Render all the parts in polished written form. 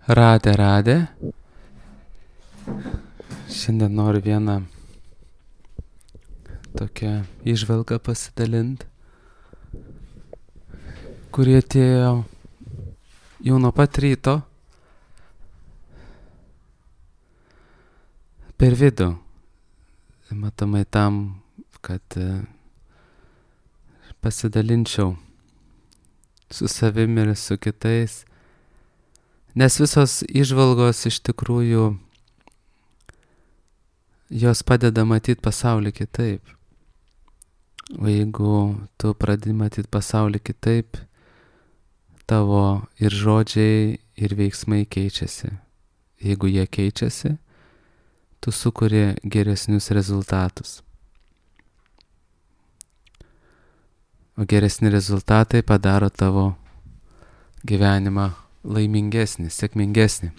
Radė. Šiandien noriu vieną tokią įžvalgą pasidalinti, kurie atėjo jau nuo pat ryto per vidų. Matomai tam, kad pasidalinčiau su savimi ir su kitais. Nes visos įžvalgos iš tikrųjų jos padeda matyti pasaulį kitaip. O jeigu tu pradedi matyti pasaulį kitaip, tavo ir žodžiai, ir veiksmai keičiasi. Jeigu jie keičiasi, tu sukuri geresnius rezultatus. O geresni rezultatai padaro tavo gyvenimą laimingesnį, sėkmingesnį.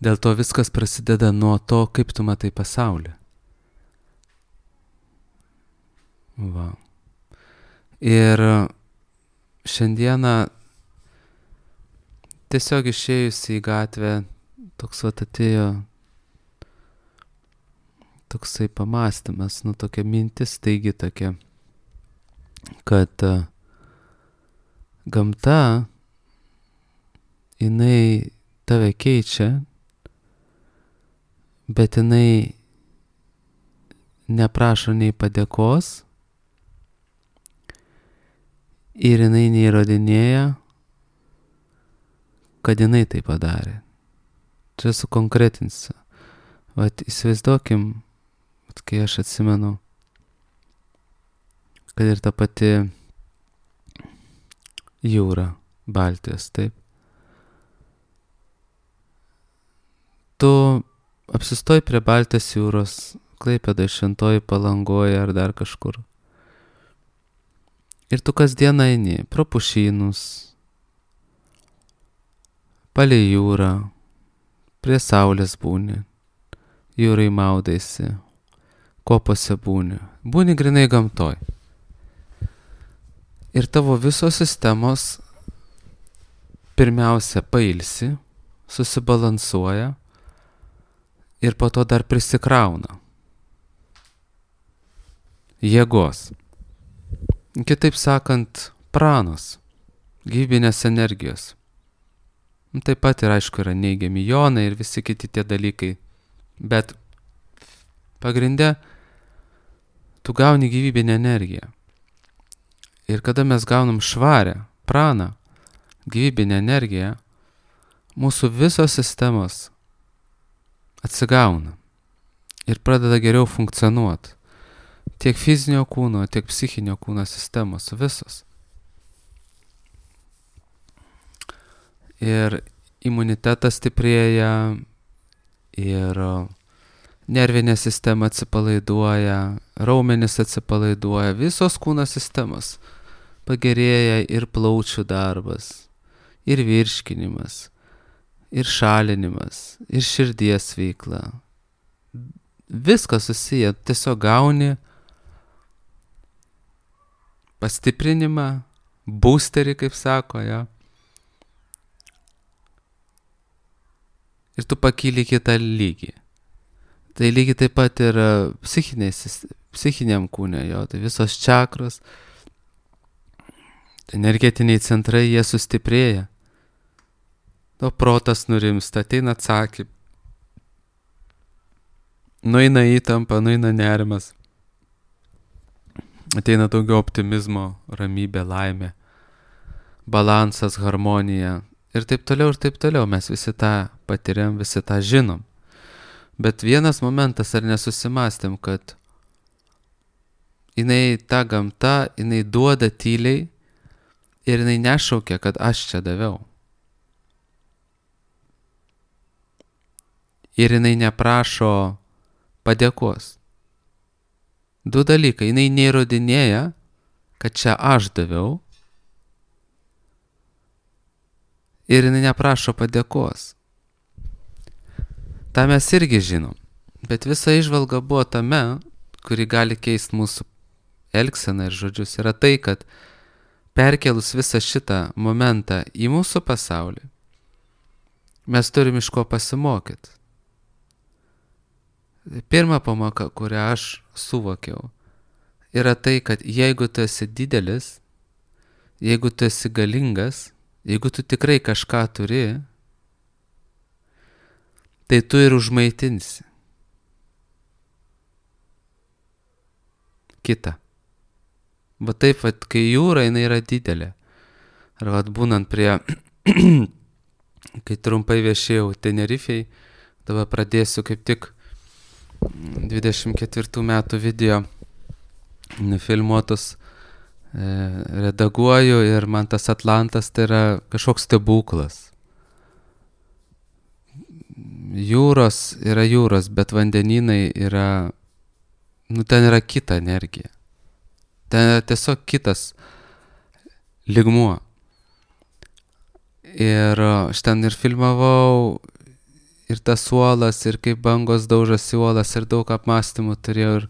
Dėl to viskas prasideda nuo to, kaip tu matai pasaulį. Va. Ir šiandieną tiesiog išėjus į gatvę toks atėjo toksai pamąstymas, tokia mintis taigi tokia, kad gamta jinai tave keičia, bet jinai neprašo nei padėkos ir jinai neįrodinėja, kad jinai tai padarė. Čia sukonkretinsiu. Vat įsivaizduokim, kai aš atsimenu, kad ir ta pati jūra, Baltijos, taip. Tu apsistoji prie Baltijos jūros, Klaipėdoj, Šventojoj, Palangoje ar dar kažkur. Ir tu kasdien eini pro pušynus, palei jūrą, prie saulės būni, jūrai maudaisi, kopose būni grinai gamtoj. Ir tavo visos sistemos pirmiausia pailsi, susibalansuoja ir po to dar prisikrauna jėgos. Kitaip sakant, pranos, gyvybinės energijos. Taip pat ir aišku yra neigiami jonai ir visi kiti tie dalykai, bet pagrinde tu gauni gyvybinę energiją. Ir kada mes gaunam švarę, praną, gyvybinę energiją, mūsų visos sistemos atsigauna ir pradeda geriau funkcionuoti. Tiek fizinio kūno, tiek psichinio kūno sistemos, visos. Ir imunitetas stiprėja, ir nervinė sistema atsipalaiduoja, raumenys atsipalaiduoja, visos kūno sistemos pagerėja ir plaučių darbas, ir virškinimas, ir šalinimas, ir širdies veikla. Viskas susiję, tiesiog gauni pastiprinimą, boosterį, kaip sako, ja. Ir tu pakyli kitą lygį. Tai lygiai taip pat ir psichiniam kūne, jo, tai visos čakros, energetiniai centrai, jie sustiprėja. To protas nurimsta, ateina atsakymai. Nueina įtampa, nueina nerimas. Ateina daugiau optimizmo, ramybė, laimė, balansas, harmonija. Ir taip toliau. Mes visi tą patiriam, visi tą žinom. Bet vienas momentas, ar nesusimastėm, kad jinai ta gamta, jinai duoda tyliai ir jinai nešaukia, kad aš čia daviau. Ir jinai neprašo padėkos. Du dalykai. Jinai neįrodinėja, kad čia aš daviau. Ir jinai neprašo padėkos. Ta mes irgi žinom. Bet visa įžvalga buvo tame, kuri gali keisti mūsų elgseną ir žodžius, yra tai, kad perkelus visą šitą momentą į mūsų pasaulį, Mes turim iš ko pasimokyti. Pirma pamoka, kurią aš suvokiau, yra tai, kad jeigu tu esi didelis, jeigu tu esi galingas, jeigu tu tikrai kažką turi, tai tu ir užmaitinsi kitą. Va taip, vat, kai jūra, jinai yra didelė. Ar vat būnant prie, kai trumpai viešėjau Tenerifei, dabar pradėsiu kaip tik 24 metų video nufilmuotus, redaguoju ir man tas Atlantas tai yra kažkoks stebuklas. Jūros yra jūros, bet vandenynai yra, ten yra kita energija. Ten yra tiesiog kitas lygmuo. Ir aš ten ir filmavau, ir tas uolas, ir kaip bangos daužosi uolas, ir daug apmąstymų turėjau, ir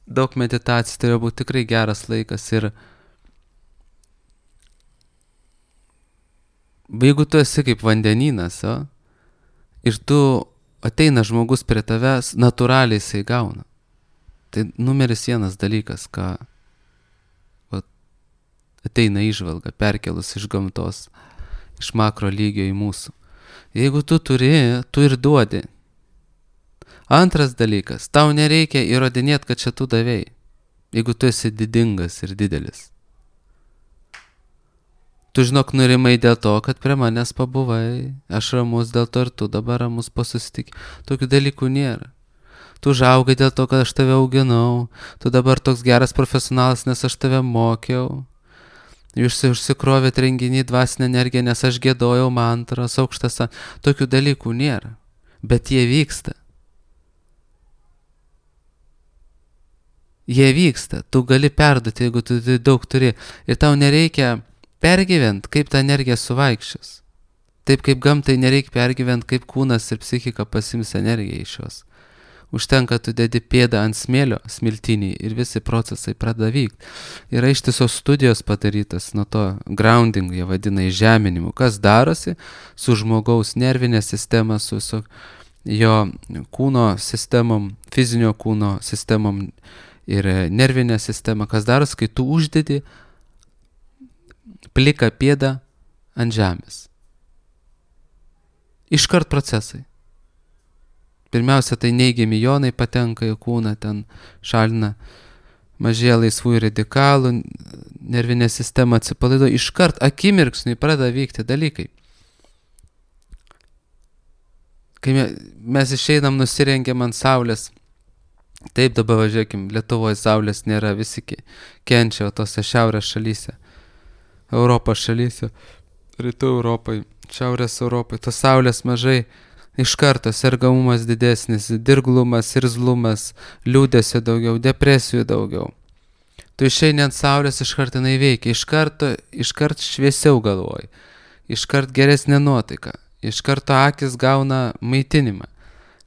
daug meditacijų turėjo būti tikrai geras laikas. Ir jeigu tu esi kaip vandenynas, ir tu ateina žmogus prie tavęs, natūraliai jisai gauna. Tai numeris vienas dalykas, ką ateina įžvalga, perkelus iš gamtos, iš makro lygio į mūsų. Jeigu tu turi, tu ir duodi. Antras dalykas, tau nereikia įrodinėti, kad čia tu davėjai, jeigu tu esi didingas ir didelis. Tu žinok, nurimai dėl to, kad prie manęs pabuvai, aš ramus dėl to ir tu dabar ramus po susitikimų. Tokių dalykų nėra. Tu užaugai dėl to, kad aš tave auginau, tu dabar toks geras profesionalas, nes aš tave mokiau. Jūs užsikrovėt renginį dvasinę energiją, nes aš giedojau mantras, aukštas. Tokių dalykų nėra, bet jie vyksta. Jie vyksta, tu gali perduoti, jeigu tu daug turi. Ir tau nereikia pergyvent, kaip ta energija suvaikščios. Taip kaip gamtai nereikia pergyvent, kaip kūnas ir psichika pasims energiją iš jos. Užtenka, tu dedi pėdą ant smėlio smiltinį ir visi procesai pradeda vykti. Yra ištisos studijos padarytas nuo to grounding, jie vadina įžeminimu, kas darosi su žmogaus nervinė sistema, su jo kūno sistemom, fizinio kūno sistemom ir nervinė sistema, kas darosi, kai tu uždedi pliką pėdą ant žemės. Iškart procesai. Pirmiausia, tai neigiami jonai patenka į kūną, ten šalina, mažėja laisvųjų radikalų, nervinė sistema atsipalaiduoja, iškart akimirksniui pradeda vykti dalykai. Kai mes išeinam, nusirengiam ant saulės, taip dabar važiuokim, Lietuvoje saulės nėra, visi kenčia tose šiaurės šalyse, Europos šalyse, rytų Europai, šiaurės Europai, tos saulės mažai. Iš karto sergamumas didesnis, dirglumas, irzlumas, liūdesio daugiau, depresijų daugiau. Tu išeini ant saulės, iškart jinai veikia, iškart šviesiau galvoji, iškart geresnė nuotaika, iš karto akis gauna maitinimą,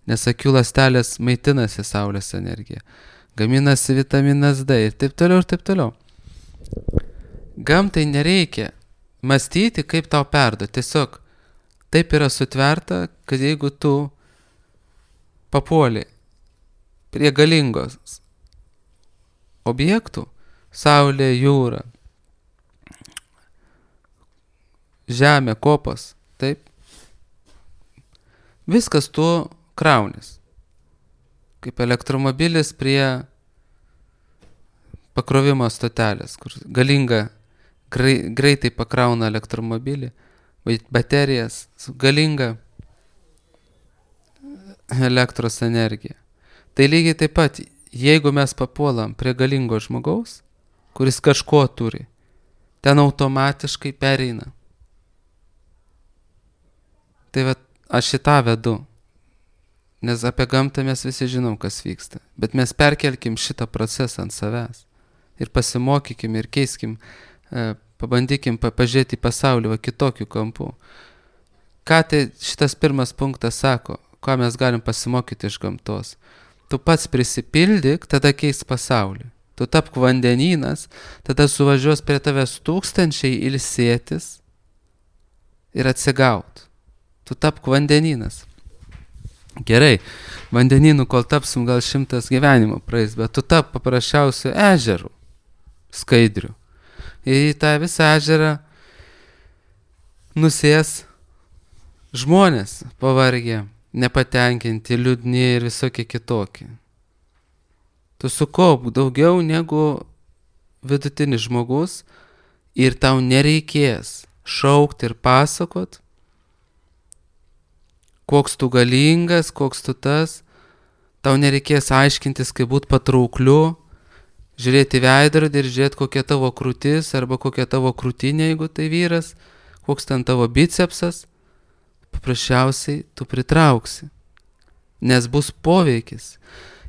nes akių ląstelės maitinasi saulės energiją, gaminasi vitaminas D ir taip toliau ir taip toliau. Gamtai nereikia mąstyti, kaip tau perduoti, tiesiog taip yra sutverta, kad jeigu tu papuoli prie galingos objektų, saulė, jūra, žemė, kopos, taip, viskas tu kraunis. Kaip elektromobilis prie pakrovimo stotelės, kur galinga, greitai pakrauna elektromobilį, baterijas, galinga elektros energija. Tai lygiai taip pat, jeigu mes papuolam prie galingo žmogaus, kuris kažko turi, ten automatiškai pereina. Tai vat, aš šitą vedu, nes apie gamtą mes visi žinom, kas vyksta, bet mes perkelkim šitą procesą ant savęs ir pasimokykim ir keiskim, pabandykim pažiūrėti į pasaulį kitokių kampų. Ką tai šitas pirmas punktas sako, ką mes galim pasimokyti iš gamtos? Tu pats prisipildyk, tada keis pasaulį. Tu tapk vandenynas, tada suvažiuos prie tavęs tūkstančiai ilsėtis ir atsigaut. tu tapk vandenynas. Gerai, vandenynų, kol tapsim, gal 100 gyvenimo praeis, bet tu tap paprasčiausiu ežeru, skaidriu. Ir į tą visą ežerą nusės žmonės pavargę, nepatenkinti, liūdni ir visokie kitokie. Tu sukaupk daugiau negu vidutinis žmogus ir tau nereikės šaukti ir pasakot, koks tu galingas, koks tu tas. Tau nereikės aiškintis, kaip būt patraukliu, žiūrėti veidrodį ir žiūrėti, kokia tavo krūtis arba kokia tavo krūtinė, jeigu tai vyras, koks ten tavo bicepsas. Paprasčiausiai tu pritrauksi, nes bus poveikis.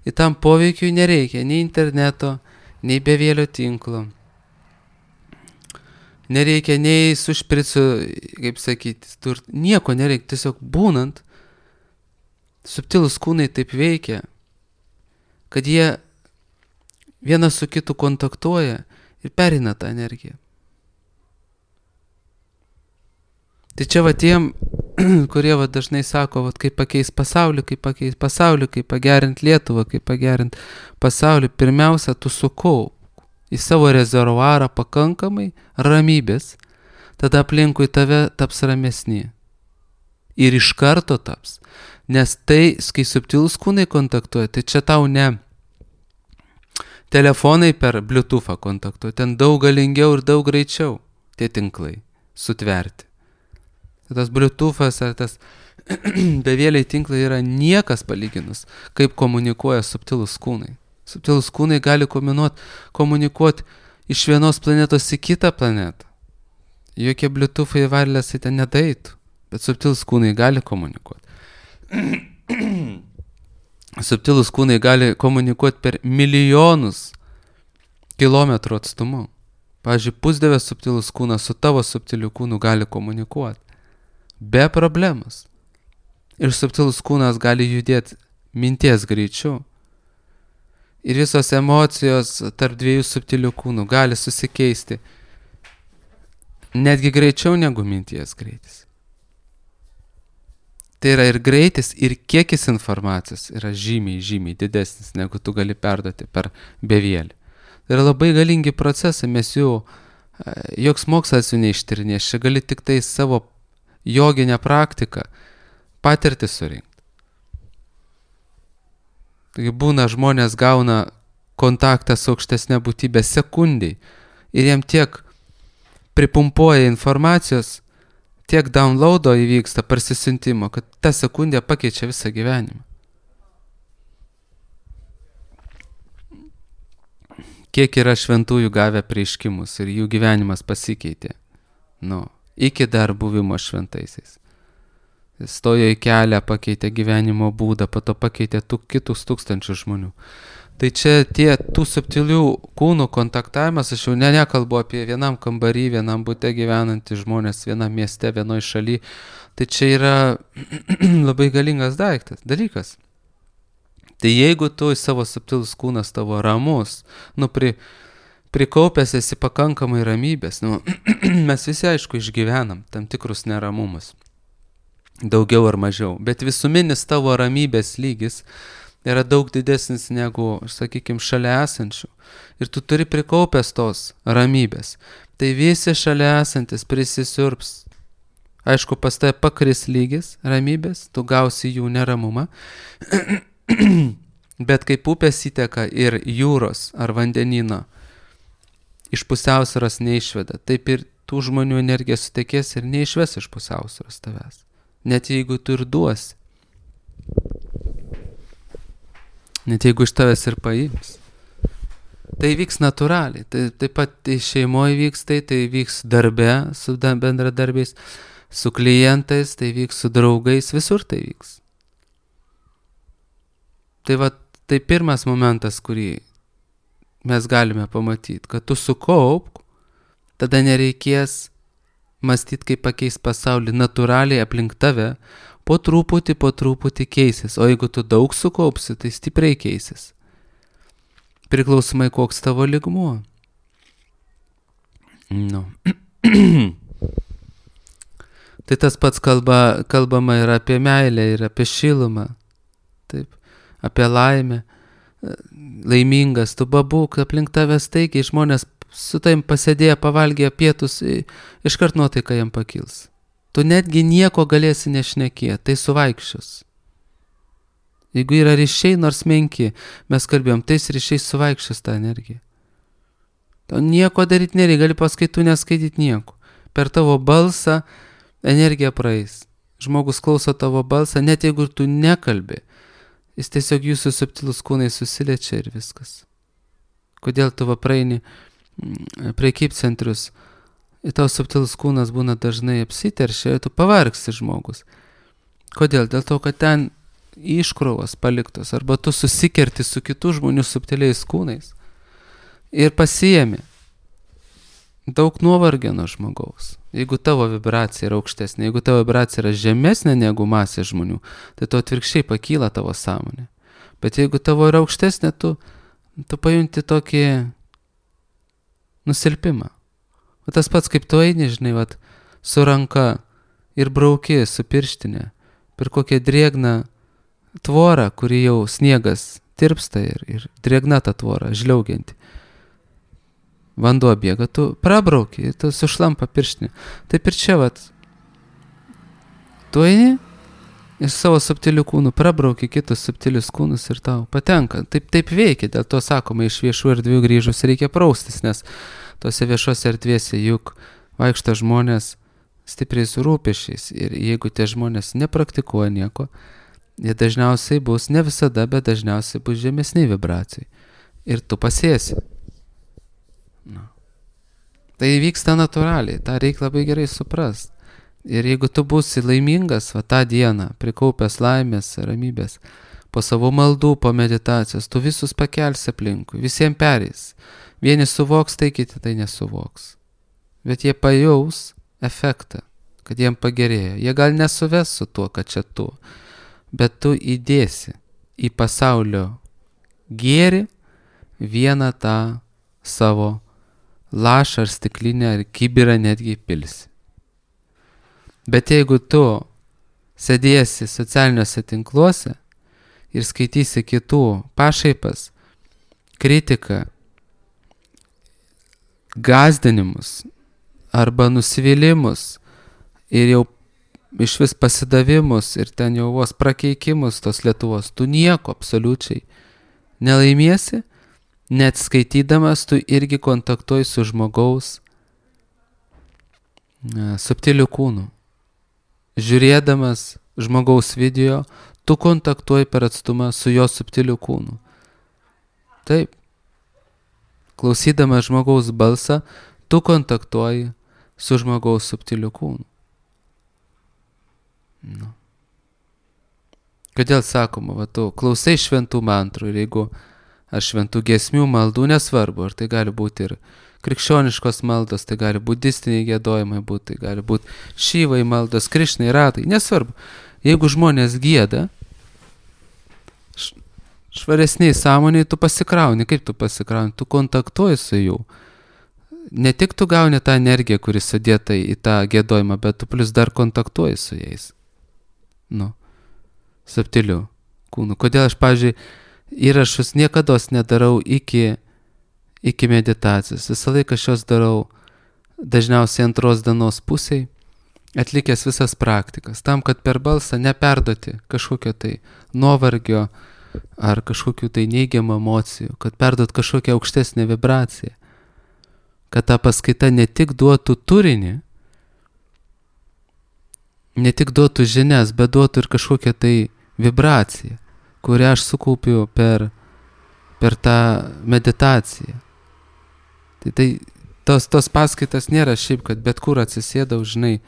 Ir tam poveikiui nereikia nei interneto, nei bevėlio tinklo. Nereikia nei su špricu, kaip sakyti, nieko nereikia, tiesiog būnant. Subtilūs kūnai taip veikia, kad jie vienas su kitu kontaktuoja ir perina tą energiją. Tai čia va tiem, kurie va dažnai sako, va, kaip pakeis pasaulį, kaip pagerint Lietuvą, kaip pagerint pasaulį, pirmiausia, tu sukaup į savo rezervuarą pakankamai ramybės, tada aplinkui tave taps ramesni. Ir iš karto taps. Nes tai, kai subtilūs kūnai kontaktuoja, tai čia tau ne telefonai per Bluetooth'ą kontaktuoja, ten daug galingiau ir daug greičiau tie tinklai sutverti. Tas Bluetooth'as ar tas bevėliai tinklai yra niekas palyginus, kaip komunikuoja subtilūs kūnai. Subtilūs kūnai gali komunikuoti iš vienos planetos į kitą planetą. Jokie Bluetooth'ai wirelessai ten nedaitų, bet subtilūs kūnai gali komunikuoti. Subtilūs kūnai gali komunikuoti per milijonus kilometrų atstumu. Pavyzdžiui, pusdievės subtilūs kūnas su tavo subtiliu kūnu gali komunikuoti. Be problemos. Ir subtilus kūnas gali judėti minties greičiu. Ir visos emocijos tarp dviejų subtilių kūnų gali susikeisti netgi greičiau negu minties greitis. Tai yra ir greitis, ir kiekis informacijos yra žymiai didesnis, negu tu gali perduoti per bevėlį. Tai yra labai galingi procesai, mes jų, joks mokslas jų neištyrinės, čia gali tik tai savo joginę praktiką, patirtį surinkti. Taigi būna žmonės gauna kontaktą su aukštesnė būtybė sekundai ir jiem tiek pripumpuoja informacijos, tiek downloado įvyksta parsisiuntimo, kad ta sekundė pakeičia visą gyvenimą. Kiek yra šventųjų gavę prieiškimus ir jų gyvenimas pasikeitė. Iki dar buvimo šventaisiais. Stojo į kelią, pakeitė gyvenimo būdą, po to pakeitė kitus tūkstančius žmonių. Tai čia tų subtilių kūnų kontaktavimas, aš jau nekalbu apie vienam kambarį, vienam bute gyvenantys žmonės, vienam mieste, vienoj šaly. Tai čia yra labai galingas dalykas. Tai jeigu tu į savo subtilus kūnas tavo ramus, prikaupęs esi pakankamai ramybės, mes visi aišku išgyvenam tam tikrus neramumus. Daugiau ar mažiau, bet visuminis tavo ramybės lygis yra daug didesnis negu, sakykime, šalia esančių. Ir tu turi prikaupęs tos ramybės. Tai visi šalia esantis prisisiurps. Aišku, pas tai pakris lygis ramybės, tu gausi jų neramumą. Bet kaip upės įteka ir jūros ar vandenino iš pusiausvyros neišveda, taip ir tų žmonių energija sutekės ir neišves iš pusiausvyros tavęs. Net jeigu tu ir duosi. Net jeigu iš tavęs ir paims. Tai vyks natūraliai. Taip pat tai šeimoje vyks, tai vyks darbe su bendradarbiais, su klientais, tai vyks su draugais, visur tai vyks. Tai pirmas momentas, kurį mes galime pamatyti, kad tu sukaupk, tada nereikės mąstyti, kaip pakeis pasaulį natūraliai aplink tave, po truputį keisis, o jeigu tu daug sukaupsi, tai stipriai keisis. Priklausomai koks tavo lygmuo. Tai tas pats kalbama ir apie meilę, ir apie šilumą, taip, apie laimę, laimingas, tu babūk, aplink tave staigiai žmonės su taim pasėdėję, pavalgė pietus, iškart nuotaika jam pakils. Tu netgi nieko galėsi nešnekėti, tai suvaikščios. Jeigu yra ryšiai, nors menki, mes kalbėjom, tais ryšiais suvaikščios tą energiją. To nieko daryti nereikia, gali paskaitų neskaityti nieko. Per tavo balsą energija praeis. Žmogus klauso tavo balsą, net jeigu tu nekalbi, jis tiesiog jūsų subtilus kūnai susiliečia ir viskas. Kodėl tu va praeini prekybcentrius, ir tavo subtilus kūnas būna dažnai apsiteršia, ir tu pavargsi žmogus. Kodėl? Dėl to, kad ten iškrovos paliktos, arba tu susikerti su kitų žmonių subtiliais kūnais ir pasiemi daug nuovargio nuo žmogaus. Jeigu tavo vibracija yra aukštesnė, jeigu tavo vibracija yra žemesnė negu masė žmonių, tai tu atvirkščiai pakyla tavo sąmonė. Bet jeigu tavo yra aukštesnė, tu pajunti tokį nusilpimą. O tas pats, kaip tu eini, žinai, vat, su ranka ir brauki su pirštinė per kokią drėgną tvorą, kuri jau sniegas tirpsta ir drėgna ta tvora, žliaugianti. Vanduo bėga, tu prabrauki, tu sušlampa pirštinė. Taip ir čia, vat, tu eini ir savo subtilių kūnų prabrauki kitus subtilius kūnus ir tau patenka. Taip veikia, dėl to sakoma, iš viešų erdvių grįžus reikia praustis, nes tose viešose erdvėse juk vaikšto žmonės stipriai su rūpešiais ir jeigu tie žmonės nepraktikuoja nieko, jie dažniausiai bus, ne visada, bet dažniausiai bus žemesniai vibracijai. Ir tu pasėsi. No. Tai vyksta natūraliai, tą reikia labai gerai suprast. Ir jeigu tu būsi laimingas, va tą dieną, prikaupęs laimės, ramybės, po savo maldų, po meditacijos, tu visus pakelsi aplinkui, visiems pereis. Vieni suvoks, tai kiti tai nesuvoks. Bet jie pajaus efektą, kad jiem pagerėjo. Jie gal nesuves su tuo, kad čia tu, bet tu įdėsi į pasaulio gėrį vieną tą savo lašą ar stiklinę ar kibirą netgi pilsi. Bet jeigu tu sėdėsi socialiniuose tinkluose ir skaitysi kitų pašaipas, kritiką, gąsdinimus arba nusivylimus ir jau iš vis pasidavimus ir ten jau vos prakeikimus tos Lietuvos, tu nieko absoliučiai nelaimėsi, net skaitydamas tu irgi kontaktuoji su žmogaus subtiliu kūnu. Žiūrėdamas žmogaus video, tu kontaktuoji per atstumą su jo subtiliu kūnu. Taip. Klausydamas žmogaus balsą, tu kontaktuoji su žmogaus subtiliu kūnu. No. Kodėl sakoma, va tu klausai šventų mantrų ir jeigu ar šventų giesmių maldų, nesvarbu, ar tai gali būti ir krikščioniškos maldos, tai gali budistiniai giedojimai būti, tai gali būti šyvai maldos, krišnai, ratai, nesvarbu. Jeigu žmonės gieda, švaresniai sąmoniai tu pasikrauni. Kaip tu pasikrauni? Tu kontaktuoji su jų. Ne tik tu gauni tą energiją, kuri sudėta į tą giedojimą, bet tu plus dar kontaktuoji su jais. Nu, subtiliu kūnu. Kodėl aš, pavyzdžiui, įrašus niekados nedarau iki meditacijos. Visą laiką aš juos darau dažniausiai antros dienos pusėj, atlikęs visas praktikas, tam, kad per balsą neperduoti kažkokio tai nuovargio ar kažkokių tai neigiamų emocijų, kad perduot kažkokią aukštesnę vibraciją, kad ta paskaita ne tik duotų turinį, ne tik duotų žinias, bet duotų ir kažkokią tai vibraciją, kurią aš sukaupiu per tą meditaciją. Tai tos paskaitas nėra šiaip, kad bet kur atsisėdau, žinai,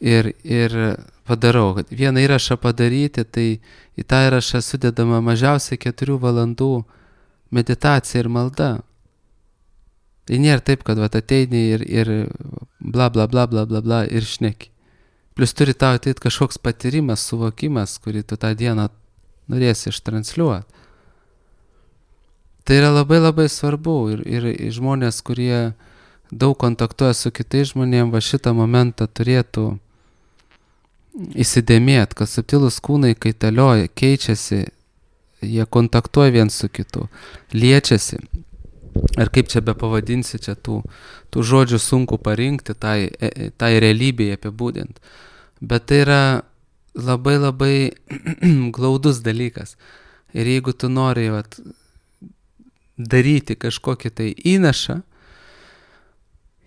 ir padarau. Kad vieną įrašą padaryti, tai į tą įrašą sudedama mažiausiai 4 valandų meditacija ir malda. Tai nėra taip, kad ateini ir bla bla bla bla bla bla ir šneki. Plius turi tau ateit kažkoks patyrimas, suvokimas, kurį tu tą dieną norėsi ištransliuoti. Tai yra labai labai svarbu ir žmonės, kurie daug kontaktuoja su kitais žmonėm, va šitą momentą turėtų įsidėmėt, kad subtilūs kūnai kaitalioja, keičiasi, jie kontaktuoja viens su kitu, liečiasi. Ar kaip čia be pavadinsi, čia tų žodžių sunku parinkti, tai realybėje apibūdint. Bet tai yra labai labai glaudus dalykas. Ir jeigu tu nori daryti kažkokį tai įnašą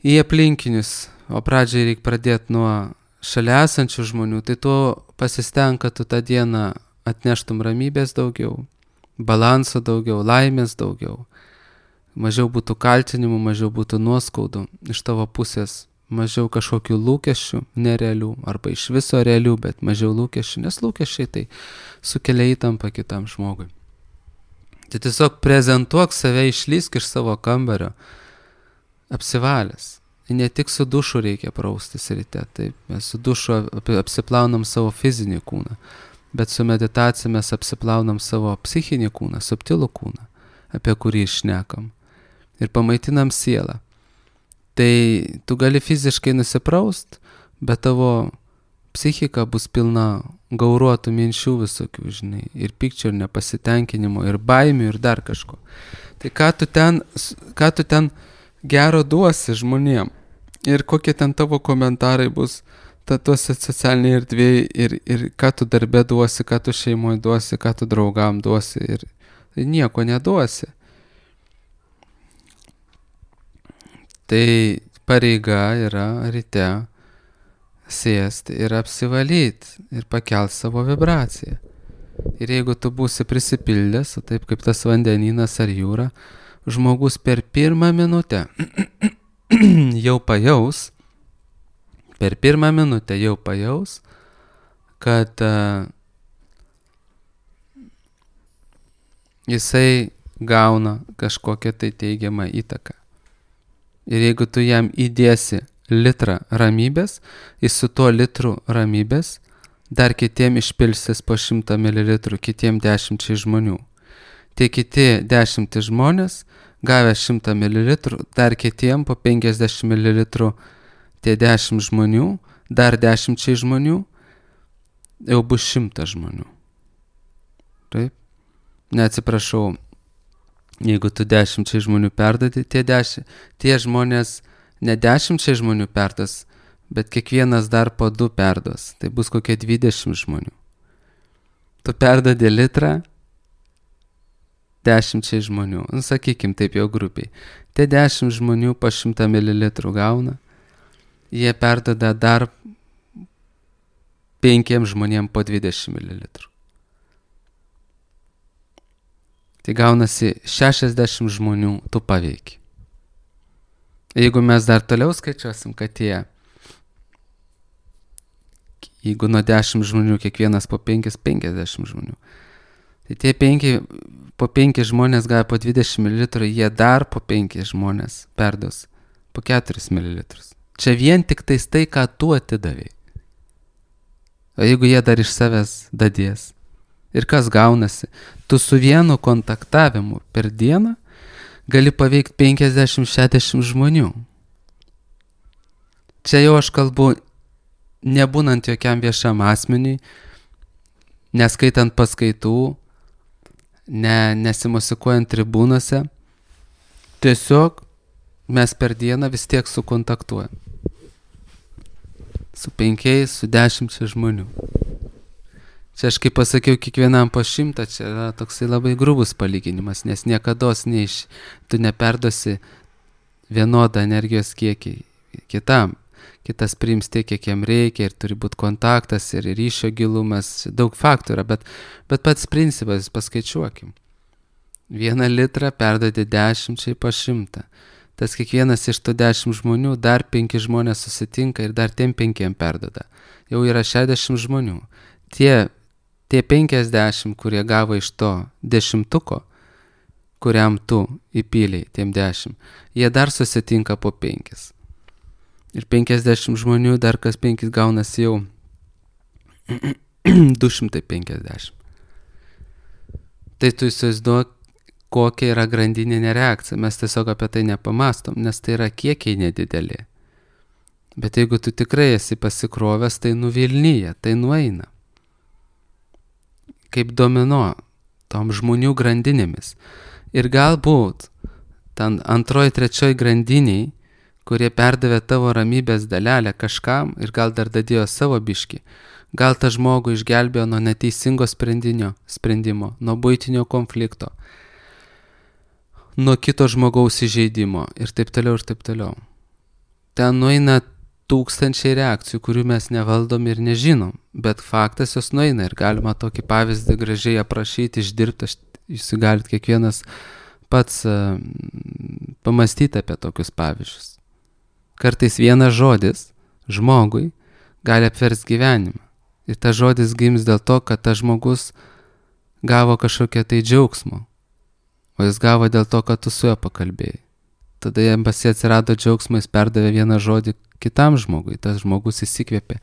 į aplinkinius, o pradžiai reikia pradėti nuo šalia esančių žmonių, tai tu pasistenk, kad tu tą dieną atneštum ramybės daugiau, balanso daugiau, laimės daugiau, mažiau būtų kaltinimų, mažiau būtų nuoskaudų iš tavo pusės, mažiau kažkokių lūkesčių nerealių, arba iš viso realių, bet mažiau lūkesčių, nes lūkesčiai tai sukelia įtampą kitam žmogui. Tai tiesiog prezentuok save, išlysk iš savo kambario, apsivalęs. Ne tik su dušu reikia praustis ryte, taip, mes su dušu apsiplaunam savo fizinį kūną, bet su meditacija mes apsiplaunam savo psichinį kūną, subtilų kūną, apie kurį šnekam, ir pamaitinam sielą. Tai tu gali fiziškai nusipraust, bet tavo psichika bus pilna gauruotų minčių visokių, žinai, ir pykčio, ir nepasitenkinimo, ir baimių, ir dar kažko. Tai ką tu ten gero duosi žmonėm, ir kokie ten tavo komentarai bus tuose socialinėje erdvėje, ir ką tu darbe duosi, ką tu šeimoje duosi, ką tu draugam duosi, ir nieko neduosi. Tai pareiga yra ryte sėsti ir apsivalyti ir pakelt savo vibraciją. Ir jeigu tu būsi prisipildęs, taip kaip tas vandenynas ar jūra, žmogus per pirmą minutę jau pajaus, kad jisai gauna kažkokią tai teigiamą įtaką. Ir jeigu tu jam įdėsi litrą ramybės, jis su tuo litru ramybės dar kitiem išpilsis po 100 ml, kitiem 10 žmonių. Tie kiti 10 žmonės, gavę 100 ml, dar kitiem po 50 ml, tie 10 žmonių, dar 10 žmonių, jau bus 100 žmonių. Taip? Neatsiprašau. Jeigu tu 10 žmonių perdadi, tie žmonės ne 10 žmonių perdas, bet kiekvienas dar po 2 perdos. Tai bus kokie 20 žmonių. Tu perdadi litrą 10 žmonių. Sakykim taip jau grubiai. Tie 10 žmonių po 100 ml gauna. Jie perdada dar 5 žmonėm po 20 ml. Tai gaunasi 60 žmonių tu paveiki. Jeigu mes dar toliau skaičiuosim, kad jeigu nuo 10 žmonių kiekvienas po 50 žmonių, tai tie po 5 žmonės gavę po 20 ml, jie dar po 5 žmonės perdos po 4 ml. Čia vien tik tai, ką tu atidavai. O jeigu jie dar iš savęs dadės, ir kas gaunasi? Tu su vienu kontaktavimu per dieną gali paveikti 50-60 žmonių. Čia jau aš kalbu nebūnant jokiam viešam asmeniui, neskaitant paskaitų, nesimosikuojant tribūnose. Tiesiog mes per dieną vis tiek sukontaktuojam. Su 5, su 10 žmonių. Čia aš kaip pasakiau, kiekvienam po 100, čia yra toksai labai grubus palyginimas, nes niekados tu neperdosi vienodą energijos kiekį kitam. Kitas priims tiek, kiek jam reikia, ir turi būti kontaktas, ir ryšio gilumas, daug faktų yra, bet pats principas, paskaičiuokim. 1 litrą perdodi 10 po 100. Tas kiekvienas iš tų 10 žmonių, dar 5 žmonės susitinka ir dar tiem 5 perdoda. Jau yra 60 žmonių. Tie 50, kurie gavo iš to 10, kuriam tu įpyliai, tiem 10, jie dar susitinka po 5. Ir 50 žmonių dar kas 5 gaunasi jau 250. Tai tu įsivaizduok, kokia yra grandininė reakcija. Mes tiesiog apie tai nepamastom, nes tai yra kiekiai nedideli. Bet jeigu tu tikrai esi pasikrovęs, tai nuvilnyja, tai nueina. Kaip domino, tom žmonių grandinėmis. Ir galbūt ten antroji, trečioji grandiniai, kurie perdavė tavo ramybės dalelę kažkam ir gal dar dadėjo savo biškį, gal tą žmogų išgelbėjo nuo neteisingo sprendimo, nuo buitinio konflikto, nuo kito žmogaus įžeidimo ir taip toliau ir taip toliau. Ten nueina tūkstančiai reakcijų, kurių mes nevaldom ir nežinom, bet faktas jos nueina ir galima tokį pavyzdį gražiai aprašyti, išdirbti, jūs galit kiekvienas pats pamastyti apie tokius pavyzdžius. Kartais vienas žodis žmogui gali apversti gyvenimą. Ir tas žodis gims dėl to, kad tas žmogus gavo kažkokią tai džiaugsmo, o jis gavo dėl to, kad tu su juo pakalbėjai. Tada jam pasi atsirado džiaugsmas, perdavė vieną žodį kitam žmogui, tas žmogus įsikvėpė,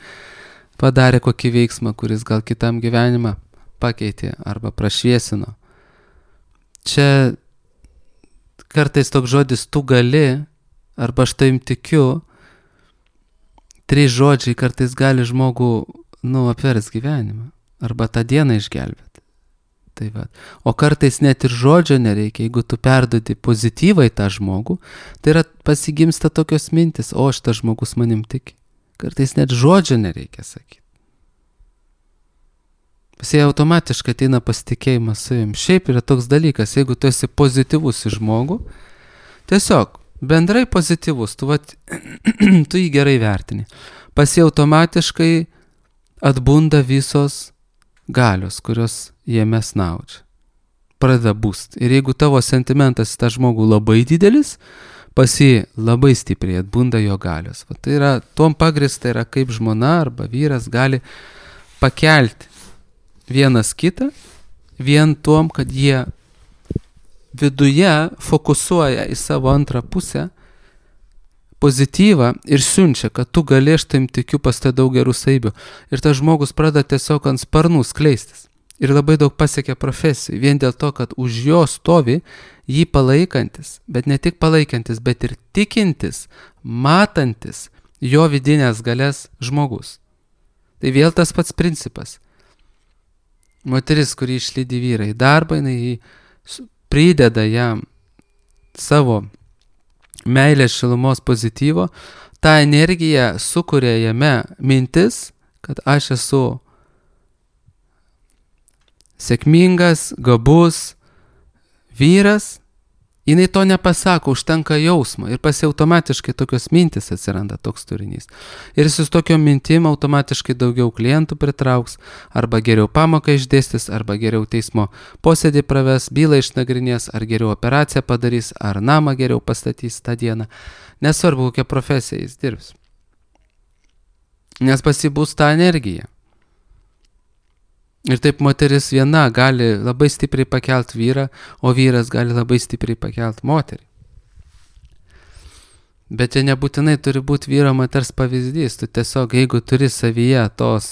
padarė kokį veiksmą, kuris gal kitam gyvenimą pakeitė arba prašviesino. Čia kartais toks žodis tu gali, arba aš taim tikiu, 3 žodžiai kartais gali žmogų, apvers gyvenimą, arba tą dieną išgelbėti. Tai va. O kartais net ir žodžio nereikia, jeigu tu perdodi pozityvai tą žmogų, tai yra pasigimsta tokios mintis, o šitas žmogus manim tiki. Kartais net žodžio nereikia sakyti. Jis automatiškai ateina pasitikėjimas savim. Šiaip yra toks dalykas, jeigu tu esi pozityvus į žmogų, tiesiog bendrai pozityvus, tu jį gerai vertini. Pas jį automatiškai atbunda visos galios, kurios jame snaudžia. Pradeda būst. Ir jeigu tavo sentimentas į tą žmogų labai didelis, pas jį labai stipriai atbunda jo galios. Tai yra, tuom pagrįsta yra, kaip žmona arba vyras gali pakelti vienas kitą, vien tuom, kad jie viduje fokusuoja į savo antrą pusę pozityvą ir siunčia, kad tu gali, aš taim tikiu, pas tai daug gerų savybių. Ir tas žmogus pradeda tiesiog ant sparnų skleistis. Ir labai daug pasiekia profesijų, vien dėl to, kad už jo stovi jį palaikantis, bet ne tik palaikantis, bet ir tikintis, matantis jo vidinės galės žmogus. Tai vėl tas pats principas. Moteris, kuri išlydi vyrą į darbą, jinai prideda jam savo meilės šilumos pozityvo, tą energiją sukuria jame mintis, kad aš esu sėkmingas, gabus vyras, jinai to nepasako, užtenka jausmo ir pasi automatiškai tokios mintis atsiranda, toks turinys. Ir jis su tokiom mintim automatiškai daugiau klientų pritrauks, arba geriau pamoką išdėstys, arba geriau teismo posėdį praves, bylą išnagrinės, ar geriau operaciją padarys, ar namą geriau pastatys tą dieną. Nesvarbu, kokią profesiją jis dirbs. Nes pasi bus ta energija. Ir taip moteris viena gali labai stipriai pakelt vyrą, o vyras gali labai stipriai pakelt moterį. Bet čia nebūtinai turi būti vyro moters pavyzdys. Tu tiesiog, jeigu turi savyje tos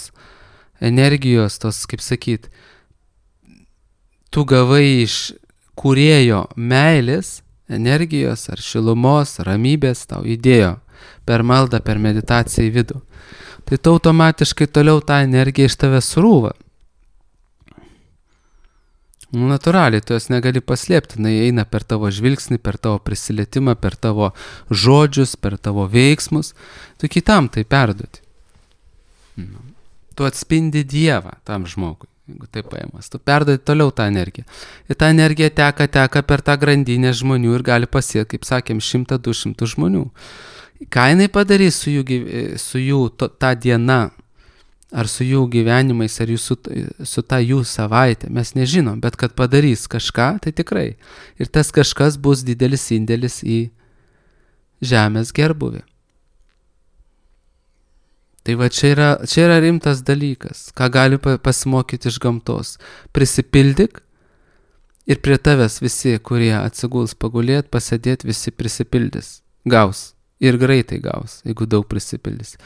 energijos, tos, kaip sakyt, tu gavai iš kūrėjo meilės, energijos ar šilumos, ramybės, tau įdėjo per maldą, per meditaciją į vidų. Tai tu automatiškai toliau tą energiją iš tave srūva. Natūraliai, tu jos negali paslėpti, jinai eina per tavo žvilgsnį, per tavo prisilietimą, per tavo žodžius, per tavo veiksmus, tu kitam tai perduoti. Tu atspindi Dievą tam žmogui, jeigu tai paėmas, tu perduoti toliau tą energiją. Ir ta energija teka per tą grandinę žmonių ir gali pasiekti, kaip sakėm, 100-200 žmonių. Ką jinai padarys su jų tą dieną, ar su jų gyvenimais, ar su ta jų savaitė, mes nežinom, bet kad padarys kažką, tai tikrai. Ir tas kažkas bus didelis indėlis į žemės gerbuvį. Tai va čia yra rimtas dalykas, ką gali pasimokyti iš gamtos. Prisipildyk ir prie tavęs visi, kurie atsiguls pagulėt, pasėdėt, visi prisipildys. Gaus. Ir greitai gaus, jeigu daug prisipildys.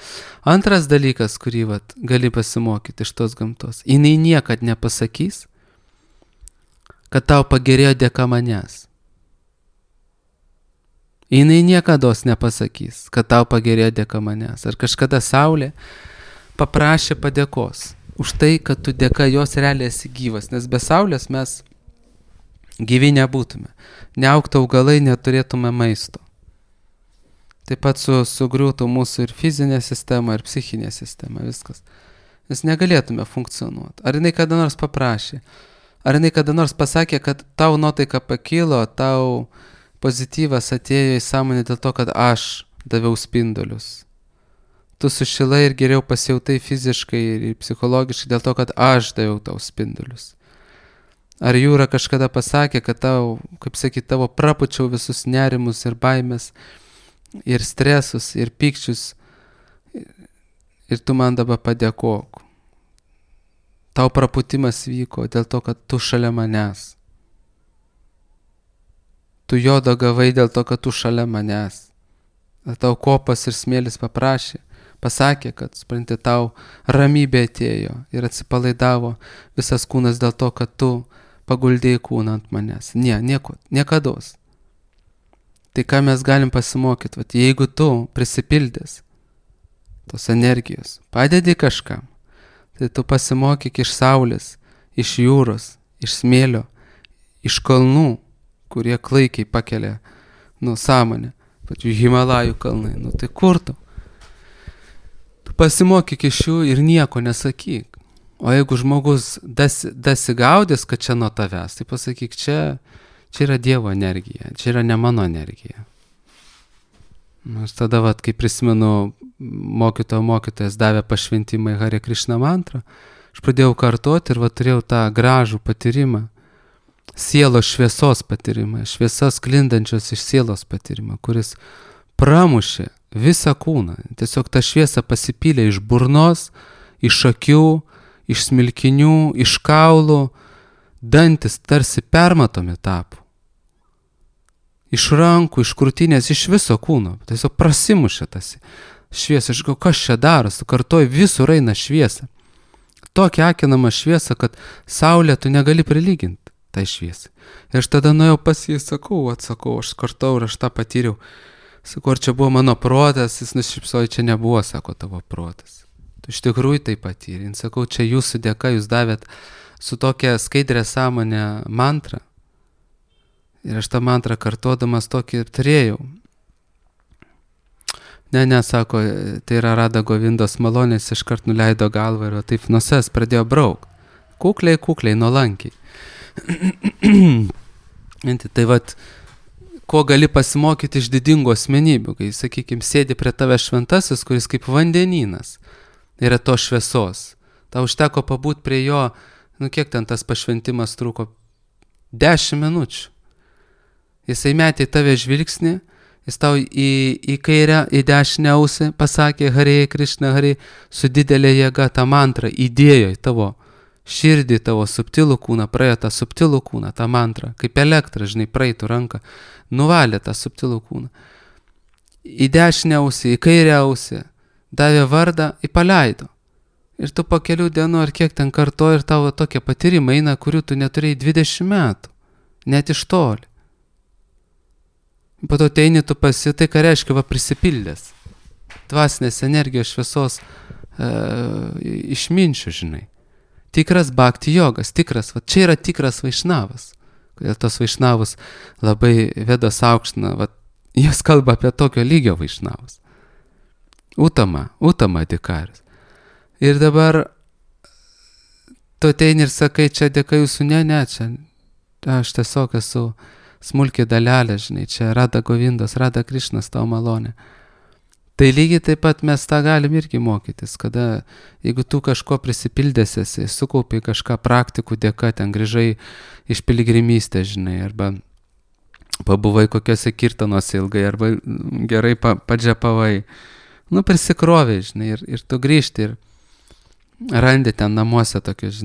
Antras dalykas, kurį gali pasimokyti iš tos gamtos. Jinai niekad nepasakys, kad tau pagerėjo dėka manęs. Jinai niekados nepasakys, kad tau pagerėjo dėka manęs. Ar kažkada Saulė paprašė padėkos už tai, kad tu dėka jos realiai esi gyvas, nes be Saulės mes gyvi nebūtume. Neaugtų augalai, neturėtume maisto. Taip pat sugriūtų mūsų ir fizinė sistema, ir psichinė sistema, viskas. Nes negalėtume funkcionuoti. Ar jinai kada nors paprašė? Ar jinai kada nors pasakė, kad tau nuotaika pakilo, tau pozityvas atėjo į sąmonę dėl to, kad aš daviau spindulius. Tu sušilai ir geriau pasijautai fiziškai ir psichologiškai dėl to, kad aš daviau tau spindulius. Ar Jūra kažkada pasakė, kad tau, kaip sakyt, tavo prapučiau visus nerimus ir baimės, ir stresus, ir pykčius, ir tu man dabar padėkok. Tau praputimas vyko dėl to, kad tu šalia manęs. Tu jodo gavai dėl to, kad tu šalia manęs. Tau kopas ir smėlis pasakė, kad, supranti, tau ramybė atėjo ir atsipalaidavo visas kūnas dėl to, kad tu paguldėjai kūną ant manęs. Niekados. Tai ką mes galim pasimokyti, vat, jeigu tu prisipildęs tos energijos, padedi kažkam, tai tu pasimokyk iš saulės, iš jūros, iš smėlio, iš kalnų, kurie klaikiai pakelia sąmonę, pačių Himalajų kalnai, tai kur tu? Tu pasimokyk iš jų ir nieko nesakyk. O jeigu žmogus dasigaudės, kad čia nuo tavęs, tai pasakyk, čia yra Dievo energija, čia yra ne mano energija. Aš tada, kai prisimenu, mokytojas davė pašventimą į Hare Krishna mantrą, aš pradėjau kartoti ir turėjau tą gražų patyrimą, sielos šviesos patyrimą, šviesos sklindančios iš sielos patyrimą, kuris pramušė visą kūną. Tiesiog ta šviesa pasipylė iš burnos, iš akių, iš smilkinių, iš kaulų, dantis tarsi permatomi tapo. Iš rankų, iš krūtinės, iš viso kūno. Tiesiog prasimušė tas šviesa. Aš galvoju, kas čia darosi, kartoju, visur eina šviesa. Tokia akinama šviesa, kad saulė tu negali prilyginti tai šviesai. Ir aš tada nuėjau pas jį, sakau, aš kartau ir aš tą patyriau. Sakau, ar čia buvo mano protas, jis nušypsojo, čia nebuvo, sako, tavo protas. Tu iš tikrųjų tai patyrė. Sakau, čia jūsų dėka, jūs davėt su tokia skaidrė sąmonė mantrą. Ir aš tą mantrą kartodamas tokį turėjau. Ne, sako, tai yra Rada Govindos malonės, iškart nuleido galvą ir taip nusės pradėjo braukti. Kukliai, nuolankiai. Tai ko gali pasimokyti iš didingų asmenybių, kai, sakykime, sėdi prie tave šventasis, kuris kaip vandenynas yra to šviesos. Tau užteko pabūt prie jo, kiek ten tas pašventimas truko? 10 minučių. Jisai metė į tave žvilgsnį, jis tau į kairę, į dešinę ausį pasakė Hare Krishna, Hare, su didelė jėga tą mantrą įdėjo į tavo širdį, tavo subtilų kūną, praėjo tą subtilų kūną, tą mantrą, kaip elektrą, praeitų ranką, nuvalė tą subtilų kūną. Į dešinę ausį, į kairę ausį, davė vardą, paleido. Ir tu po kelių dienų ar kiek ten kartoji ir tavo tokie patyrimai eina, kurių tu neturėjai 20 metų, net iš toli. Po to teini tu tai ką reiškia prisipildęs. Dvasinės energijos šviesos išminčių, Tikras bhakti jogas, čia yra tikras vaišnavas. Kodėl tos vaišnavus labai Vedos aukština, jos kalba apie tokio lygio vaišnavus. Utama dikaris. Ir dabar tu ateini ir sakai, čia dėka jūsų, ne, čia aš tiesiog esu smulkiai dalelė, čia Rada Govindos, Rada Krišnas tavo malonė. Tai lygiai taip pat mes tą galim irgi mokytis, kada jeigu tu kažko prisipildęs esi, sukaupi kažką praktikų dėka, ten grįžai iš piligrimystės, arba pabuvai kokiose kirtanuose ilgai, arba gerai padžepavai, prisikrovai, ir tu grįžti ir randi ten namuose tokius,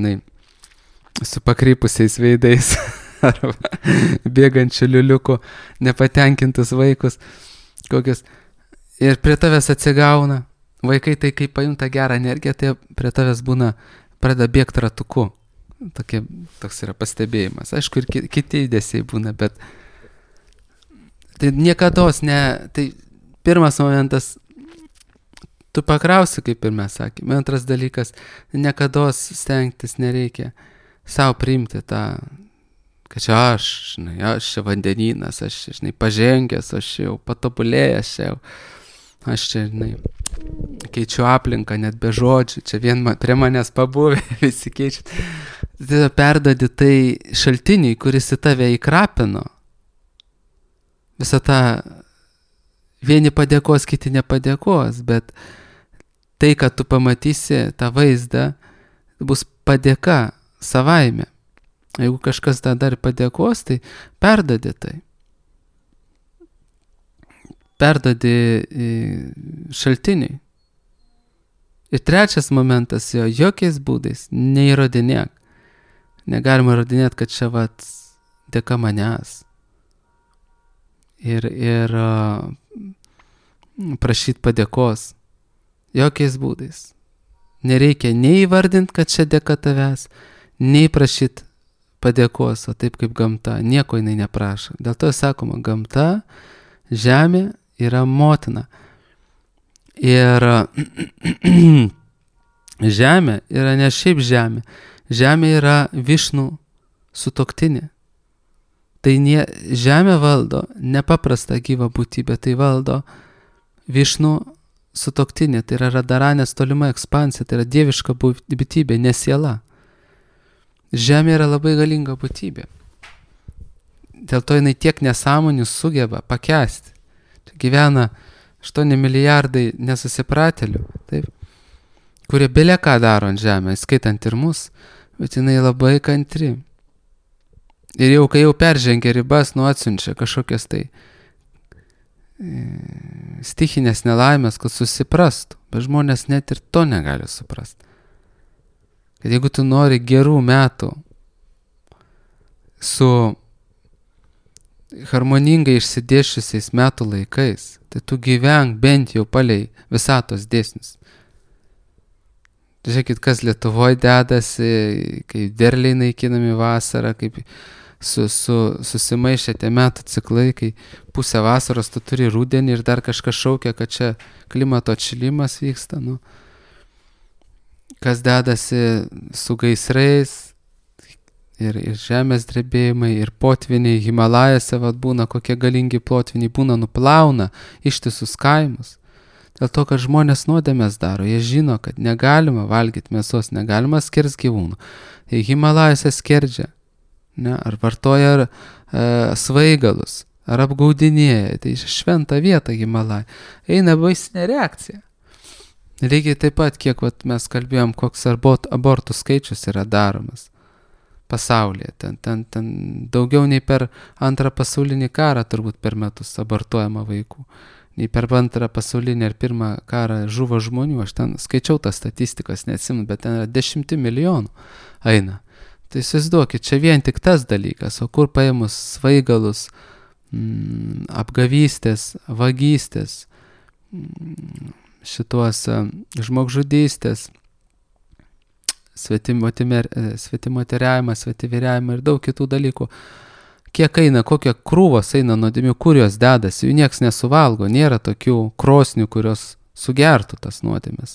su pakrypusiais veidais, arba bėgančių liuliukų, nepatenkintus vaikus, kokius. Ir prie tavęs atsigauna, vaikai tai kai pajunta gerą energiją, tai prie tavęs pradeda bėgti ratuku. Toks yra pastebėjimas. Aišku, ir kiti judesiai būna, bet Tai niekados ne, tai pirmas momentas, tu pakrausi, kaip ir mes sakėme. Antras dalykas, niekados stengtis nereikia savo priimti tą, kad čia aš čia vandenynas, aš, pažengęs, aš jau patobulėjęs, aš čia, keičiu aplinką, net be žodžių, čia vien prie manęs pabuvę, visi keičia. Tai perdodi tai šaltiniui, kuris į tave įkrapino. Visą tą, vieni padėkos, kiti nepadėkos, bet tai, kad tu pamatysi tą vaizdą, bus padėka savaime. Jeigu kažkas tą dar padėkos, tai perdodi tai. Perdodi šaltiniui. Ir trečias momentas, jokiais būdais neįrodinėk. Negalima įrodinėti, kad čia dėka manęs. Ir prašyti padėkos. Jokiais būdais. Nereikia nei įvardinti, kad čia dėka tavęs, nei prašyti padėkos, o taip kaip gamta. Nieko jinai neprašo. Dėl to sakoma, gamta, žemė yra motina. Ir žemė yra ne šiaip žemė. Žemė yra Višnų sutuoktinė. Tai žemė valdo nepaprastą gyvą būtybę, tai valdo Višnų sutuoktinė, tai yra Radaranės tolima ekspansija, tai yra dieviška būtybė, ne siela. Žemė yra labai galinga būtybė. Dėl to jinai tiek nesąmonių sugeba pakęsti. Čia gyvena 8 milijardai nesusipratėlių, taip, kurie bele ką daro ant žemę, skaitant ir mus, bet jinai labai kantri. Ir jau, kai jau peržengia ribas, atsiunčia kažkokias tai stichinės nelaimės, kad susiprastų, bet žmonės net ir to negali suprasti. Kad jeigu tu nori gerų metų su harmoningai išsidėsčiusiais metų laikais, tai tu gyvenk bent jau palei visatos dėsnius. Žiūrėkit, kas Lietuvoje dedasi, kai derliai naikinami vasarą, kaip susimaišė tie metų ciklai, kai pusę vasaros tu turi rudenį ir dar kažkas šaukia, kad čia klimato atšilimas vyksta. Kas dedasi su gaisrais ir žemės drebėjimai, ir potviniai Himalajose būna, kokie galingi potviniai būna, nuplauna ištisus kaimus. Dėl to, kad žmonės nuodėmės daro, jie žino, kad negalima valgyti mėsos, negalima skirti gyvūnų. Jie Himalajose skerdžia, ar vartoja svaigalus, ar apgaudinėja, tai šventa vieta Himalajai. Eina baisinė reakcija. Lygiai taip pat, kiek mes kalbėjom, koks abortų skaičius yra daromas pasaulyje. Ten daugiau nei per antrą pasaulinį karą turbūt per metus abortuojama vaikų. Nei per antrą pasaulinį ir pirmą karą žuvo žmonių. Aš ten skaičiau tas statistikas, neatsimenu, bet ten yra 10 milijonų eina. Tai įsivaizduokit, čia vien tik tas dalykas, o kur paėmus svaigalus, apgavystės, vagystės, šituos žmogžudystės, svetimoteriavimą, svetiviriavimą ir daug kitų dalykų. Kiek eina, kokie krūvos eina nuodėmių, kur jos dedasi, jų nieks nesuvalgo, nėra tokių krosnių, kurios sugertų tas nuodėmes.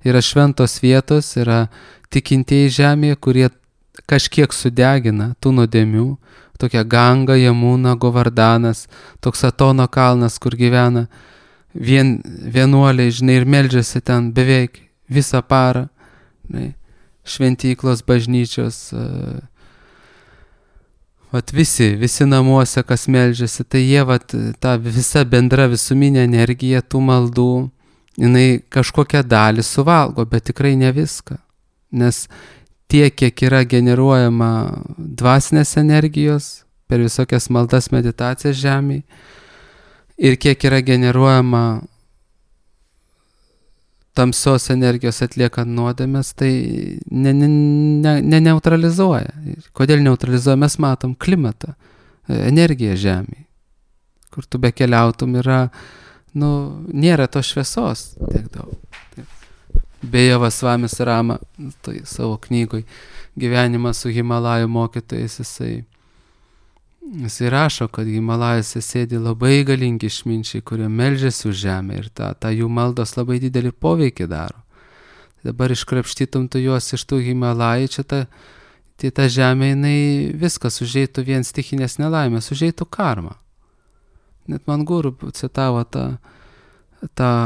Yra šventos vietos, yra tikintieji žemėje, kurie kažkiek sudegina tų nuodėmių, tokia Ganga, Jamuna, Govardanas, toks Atono kalnas, kur gyvena vienuoliai, ir meldžiasi ten beveik visą parą, šventyklos, bažnyčios, visi namuose, kas meldžiasi, tai jie, ta visa bendra visuminė energija tų maldų, jinai kažkokią dalį suvalgo, bet tikrai ne viską, nes tiek, kiek yra generuojama dvasinės energijos per visokias maldas, meditacijas žemėje, ir kiek yra generuojama tamsios energijos atliekant nuodėmes, tai neutralizuoja. Kodėl neutralizuoja? Mes matom klimatą, energiją žemėje. Kur tu bekeliautum yra, nėra to šviesos tiek daug. Beje, Vasvamis Rama, tai savo knygoj Gyvenimas su Himalajų mokytojais, jisai Jisai rašo, kad Himalajose sėdi labai galingi išminčiai, kurie meldžiasi už žemę ir ta jų maldos labai didelį poveikį daro. Dabar iškrapštytum tu juos iš tų Himalajų, tai ta žemė, jinai viskas užeitų vien stichinės nelaimės, užeitų karma. Net man guru citavo tą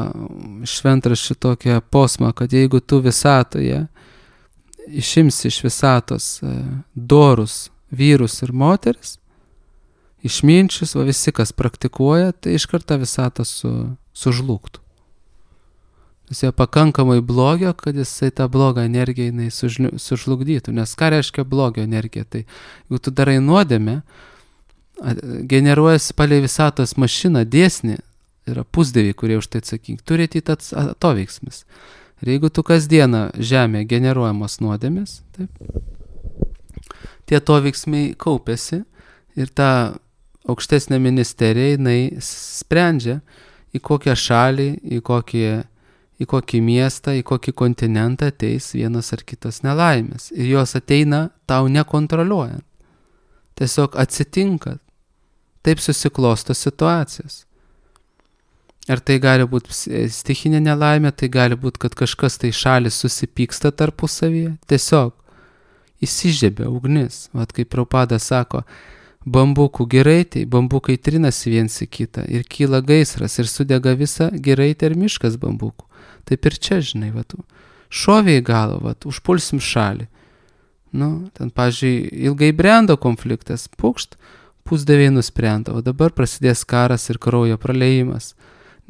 šventraštį tokią posmą, kad jeigu tu visatoje išimsi iš visatos dorus vyrus ir moteris, išminčius, va visi, kas praktikuoja, tai iš karto visata sužlugtų. Jis jau pakankamai blogio, kad jisai tą blogą energiją jinai sužlugdytų. Nes ką reiškia blogio energija? Tai jeigu tu darai nuodėmę, generuojasi palei visatos mašiną, dėsnį, yra pusdieviai, kurie už tai atsakingi, turi ateit atoveiksmis. Ir jeigu tu kasdieną žemė generuojamos nuodėmės, taip, tie atoveiksmiai kaupiasi ir ta aukštesnė ministerija, jinai sprendžia, į kokią šalį, į kokį miestą, į kokį kontinentą ateis vienas ar kitas nelaimės. Ir jos ateina tau nekontroliuojant. Tiesiog atsitinka. Taip susiklosto situacijos. Ar tai gali būti stichinė nelaimė, tai gali būti, kad kažkas tai šalis susipyksta tarpusavyje. Tiesiog įsižiebia ugnis. Vat kaip Prabhupada sako, bambukų giraitė, bambukai trinasi viens į kitą ir kyla gaisras ir sudega visa giraitė ir miškas bambukų. Taip ir čia, žinai, šovė į galvą, užpulsim šalį. Ten, pavyzdžiui, ilgai brendo konfliktas, pukšt, pusdieviai nusprendė, o dabar prasidės karas ir kraujo praleimas,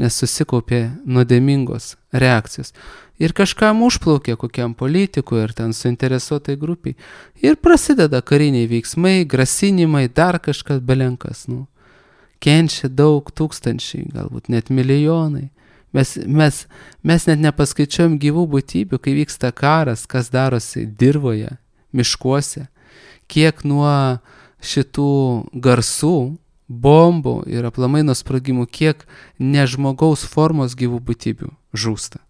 nes susikaupė nuodėmingos reakcijos. Ir kažkam užplaukė kokiam politikui ir ten suinteresuotai grupiai. Ir prasideda kariniai veiksmai, grasinimai, dar kažkas belenkas. Kenčia daug tūkstančiai, galbūt net milijonai. Mes net nepaskaičiuojam gyvų būtybių, kai vyksta karas, kas darosi dirvoje, miškuose, kiek nuo šitų garsų, bombų ir aplamai nuo sprogimų, kiek nežmogaus formos gyvų būtybių žūsta.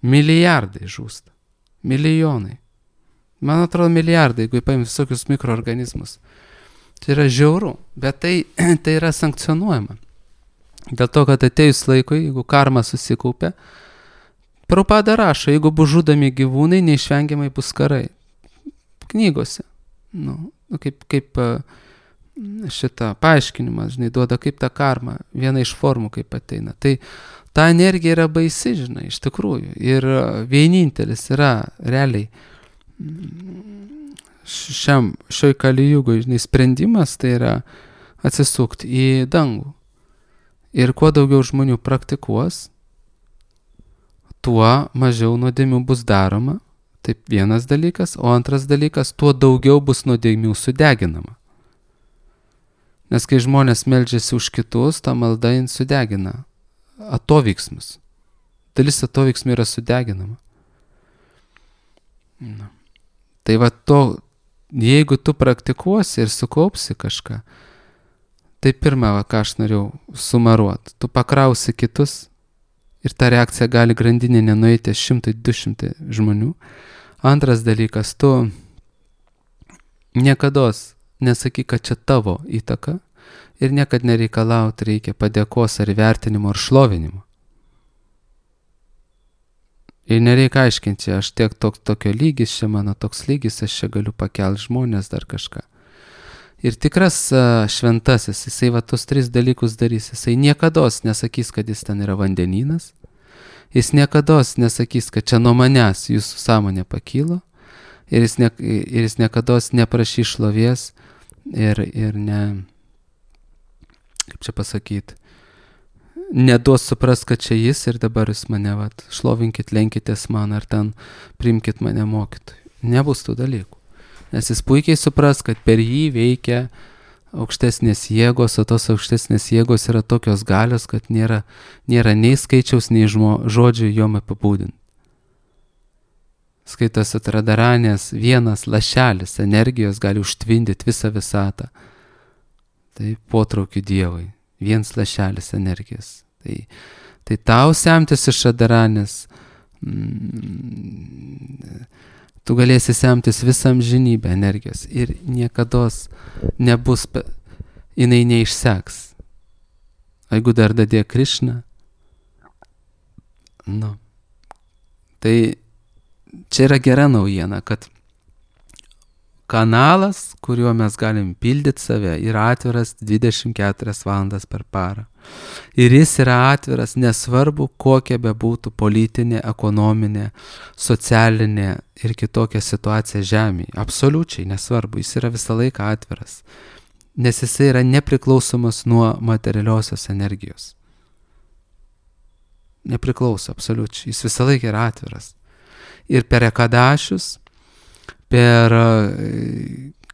Milijardai žūsta. Milijonai. Man atrodo milijardai, jeigu paimti visokius mikroorganizmus. Tai yra žiauru, bet tai yra sankcionuojama. Dėl to, kad atėjus laikui, jeigu karma susikaupia, Prabhupada rašo, jeigu bus žudomi gyvūnai, neišvengiamai bus karai. Knygose. Kaip šitą paaiškinimą, žinai, duoda kaip ta karma, viena iš formų kaip ateina. Tai ta energija yra baisi, žinai, iš tikrųjų. Ir vienintelis yra realiai šioj kalijugoj, žinai, sprendimas, tai yra atsisukti į dangų. Ir kuo daugiau žmonių praktikuos, tuo mažiau nuodėmių bus daroma. Taip vienas dalykas, o antras dalykas, tuo daugiau bus nuodėmių sudeginama. Nes kai žmonės meldžiasi už kitus, ta malda sudegina atoveiksmus. Dalis atoveiksmų yra sudeginama. Tai jeigu tu praktikuosi ir sukaupsi kažką, tai pirma, ką aš norėjau sumaruoti, tu pakrausi kitus ir ta reakcija gali grandinė nueiti 100-200 žmonių. Antras dalykas, tu niekados nesakyk, kad čia tavo įtaka ir niekad nereikalauti reikia padėkos ar vertinimo ar šlovinimo. Ir nereikia aiškinti, aš tiek tokio lygis, čia mano toks lygis, aš čia galiu pakelti žmonės dar kažką. Ir tikras šventasis, jisai tos 3 dalykus darys. Jisai niekados nesakys, kad jis ten yra vandenynas. Jis niekados nesakys, kad čia nuo manęs jūsų sąmonė pakylo. Ir jis niekados neprašys šlovės ir ne, kaip čia pasakyti, neduos supras, kad čia jis ir dabar jūs mane šlovinkit, lenkitės man ar ten priimkit mane mokytojui. Nebus tų dalykų. Nes jis puikiai supras, kad per jį veikia aukštesnės jėgos, o tos aukštesnės jėgos yra tokios galios, kad nėra nei skaičiaus, nei žodžių jom apibūdinti. Skaitos Radarānės vienas lašelis energijos gali užtvindyti visą visatą. Tai potraukiu Dievui. Vienas lašelis energijos. Tai tau semtis iš Radarānės, Tu galėsi semtis visam žinybę energijos ir niekados nebus, jinai neišseks. Jeigu dar dadė Krišna, tai čia yra gera naujiena, kad kanalas, kuriuo mes galim pildyti save, yra atviras 24 valandas per parą. Ir jis yra atviras nesvarbu, kokia bebūtų politinė, ekonominė, socialinė ir kitokia situacija žemėje. Absoliučiai nesvarbu, jis yra visą laiką atviras. Nes jis yra nepriklausomas nuo materialiosios energijos. Nepriklauso, absoliučiai. Jis visą laiką yra atviras. Ir per ekadašius,